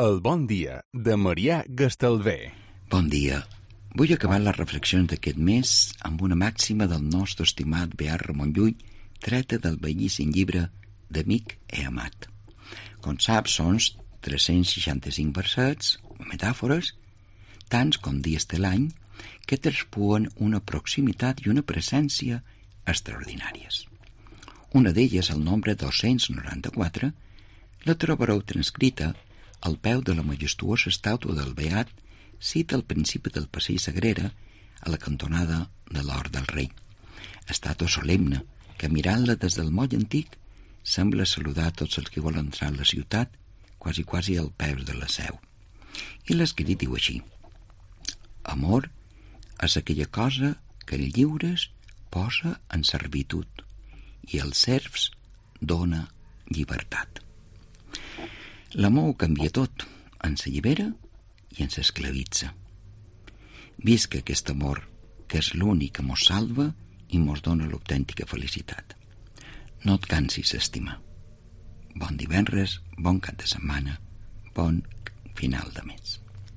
El bon dia de Marià Gastalver. Bon dia. Vull acabar les reflexions d'aquest mes amb una màxima del nostre estimat Beat Ramon Llull, treta del bellíssim llibre d'Amic e Amat. Com saps, són 365 versets o metàfores, tants com dies de l'any, que traspuen una proximitat i una presència extraordinàries. Una d'elles, el nombre 294, la trobareu transcrita al peu de la majestuosa estàtua del Beat, cita al principi del passeig Sagrera, a la cantonada de l'Hort del Rei. Estàtua solemne, que mirant-la des del moll antic, sembla saludar tots els que volen entrar a la ciutat, quasi al peu de la seu. I l'escrit diu així: amor és aquella cosa que el lliures posa en servitud i els serfs dona llibertat. L'amor ho canvia tot, ens allibera i ens esclavitza. Visca aquest amor, que és l'únic que mos salva i mos dona l'autèntica felicitat. No et cansis d'estimar. Bon divendres, bon cap de setmana, bon final de mes.